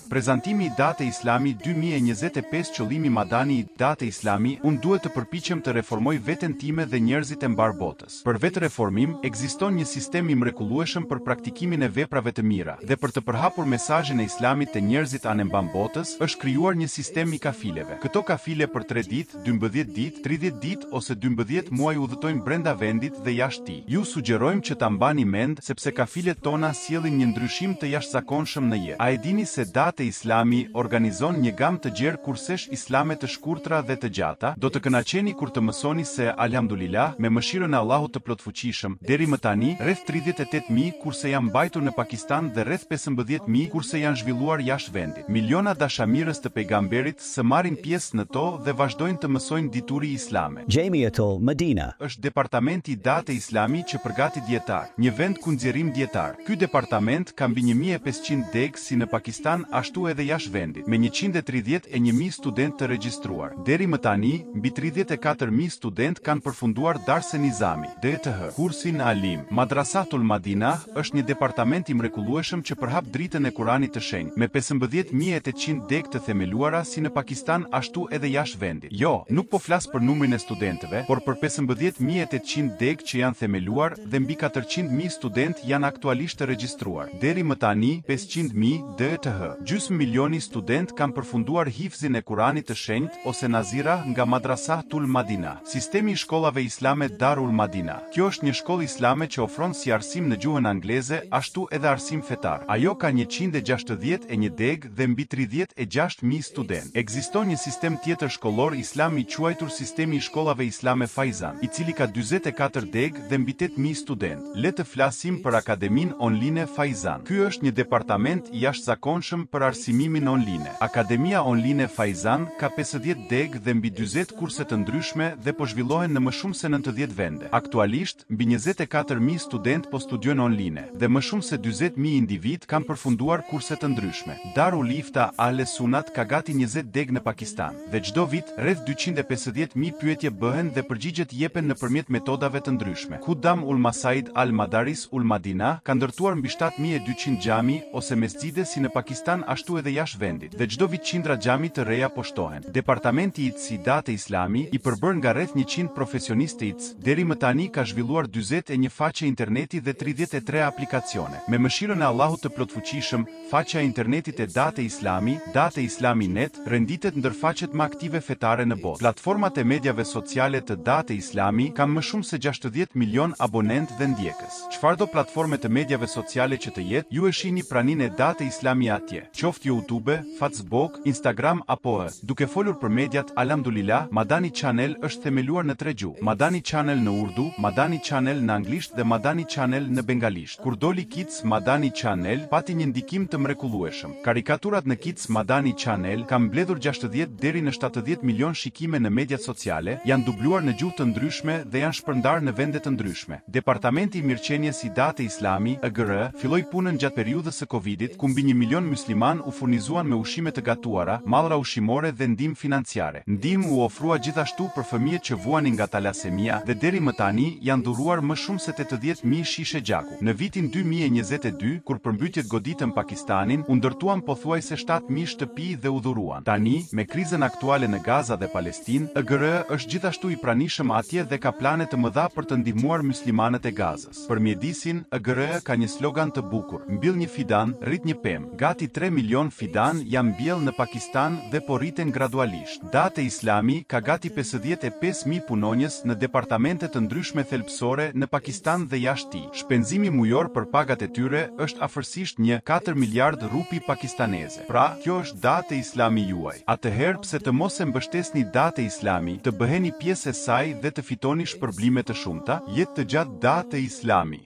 Prezantimi i Date Islami 2025 Qëllimi Madani i Date Islami Unë duhet të përpiqem të reformoj veten time dhe njerëzit e mbarë botës. Për vetëreformim, ekziston një sistem i mrekullueshëm për praktikimin e veprave të mira, dhe për të përhapur mesazhin e Islamit te njerëzit anembanë botës, është krijuar një sistem i kafileve. Këto kafile për tre ditë, 12 ditë, 30 ditë ose 12 muaj udhëtojnë brenda vendit dhe jashtë tij. Ju sugjerojmë që ta mbani mend sepse kafilet tona sjellin një ndryshim të jashtëzakonshëm në jetë. A e dini se Date Islami organizon një gamë të gjerë kursesh islame të shkurtra dhe të gjata? Do të kënaqeni kur të mësoni se, Alhamdulilah, me mëshirën e Allahut të Plotfuqishëm, deri më tani, rreth 38,000 kurse janë mbajtur në Pakistan dhe rreth 15,000 kurse janë zhvilluar jashtë vendit. Miliona dashamirës të pejgamberit së marrin pjesë në to dhe vazhdojnë të mësojnë dituri islame. Jamiatul Madina. Është departamenti i Date Islami që përgatit dijetarë, një vend ku nxjerrim dijetarë. Ky departament ka mbi 1500 degë si në Pakistan ashtu edhe jashtë vendit, me 131,000 studentë të regjistruar. Deri më tani, mbi 34,000 studentë kanë përfunduar Darse Nizami, DTH, kursin Alim. Madrasatul Madinah është një departament i mrekullueshëm që përhap dritën e Kuranit të Shenjtë, me 15.800 degë të themeluara si në Pakistan ashtu edhe jashtë vendit. Jo, nuk po flas për numrin e studentëve, por për 15.800 degë që janë themeluar dhe mbi 400.000 studentë janë aktualisht të regjistruar. Deri më tani, 500.000 DTH. Gjysmë milioni studentë kanë përfunduar hifzin e Kuranit të Shenjtë ose Nazira nga Madrasah Tul Madina. Sistemi i shkollave islame Darul Madina. Kjo është një shkollë islame që ofron si arsim në gjuhën angleze, ashtu edhe arsim fetar. Ajo ka 161 degë dhe mbi 36.000 studentë. Ekziston një sistem tjetër shkollor islam i quajtur Sistemi i Shkollave Islame Faizan, i cili ka 44 degë dhe mbi 8.000 studentë. Le të flasim për Akademinë Online Faizan. Ky është një departament i jashtëzakonshëm për arsimimin online. Akademia Online Faizan ka 50 degë dhe mbi 40 kurse të ndryshme dhe po zhvillohen në më shumë se 90 vende. Aktualisht, mbi 24.000 studentë po studiojnë online dhe më shumë se 40.000 individ kanë përfunduar kurse të ndryshme. Darul Ifta Ahle Sunat ka gati 20 degë në Pakistan dhe çdo vit rreth 250.000 pyetje bëhen dhe përgjigjet jepen nëpërmjet metodave të ndryshme. Khuddam ul Masaid al Madaris ul Madina ka ndërtuar mbi 7200 xhami ose mesxhide si në Pakistan ashtu edhe jashtë vendit dhe çdo vit qindra xhami të reja po shtohen. Departamenti i IT Date Islami, i përbërë nga rreth 100 profesionistë të IT, deri më tani ka zhvilluar 41 faqe interneti dhe 33 aplikacione. Me mëshirën e Allahut të plotfuqishëm, faqja e internetit e Date Islami, Date Islami Net, renditet ndër faqet më aktive fetare në botë. Platformat e mediave sociale të Date Islami kanë më shumë se 60 milion abonentë dhe ndjekës. Çfarëdo platforme të mediave sociale që të jetë, ju e shihni praninë e Date Islami atje, qoftë YouTube, Facebook, Instagram apo e. Duke folur për mediat, Alhamdulillah, Madani Channel është themeluar në tre gjuhë. Madani Channel në Urdu, Madani Channel në anglisht dhe Madani Channel në bengalisht. Kur doli Kids Madani Channel, pati një ndikim të mrekullueshëm. Karikaturat në Kids Madani Channel kanë mbledhur 60 deri në 70 milion shikime në mediat sociale, janë dubluar në gjuhë të ndryshme dhe janë shpërndarë në vende të ndryshme. Departamenti i Mirëqenies i Date Islami, EGR, filloi punën gjatë periudhës së Covidit, ku mbi 1 milion musliman u furnizuan me ushqime të gatuara, mallra ushqimore dhe ndihmë financiare. Ndihmë u ofrua gjithashtu për fëmijët që vuanin nga talasemia dhe deri më tani janë dhuruar më shumë se 80.000 shishe gjaku. Në vitin 2022, kur përmbytjet goditën Pakistanin, u ndërtuan pothuajse 7.000 shtëpi dhe u dhuruan. Tani, me krizën aktuale në Gaza dhe Palestinë, EGR është gjithashtu i pranishëm atje dhe ka plane të mëdha për të ndihmuar muslimanët e Gazës. Për mjedisin, EGR ka një slogan të bukur: Mbill një fidan, rrit një pemë. Gati 3 milion fidan janë mbjellë në Pakistan dhe po rriten gradualisht. Date Islami ka gati 55.000 punonjës në departamente të ndryshme thelbësore në Pakistan dhe jashtë tij. Shpenzimi mujor për pagat e tyre është afërsisht një 4 miliard rupi pakistaneze. Pra, kjo është Date Islami juaj. Atëherë pse të mos e mbështesni Date Islami, të bëheni pjesë e saj dhe të fitoni shpërblime të shumta? Jetë të gjatë Date Islami.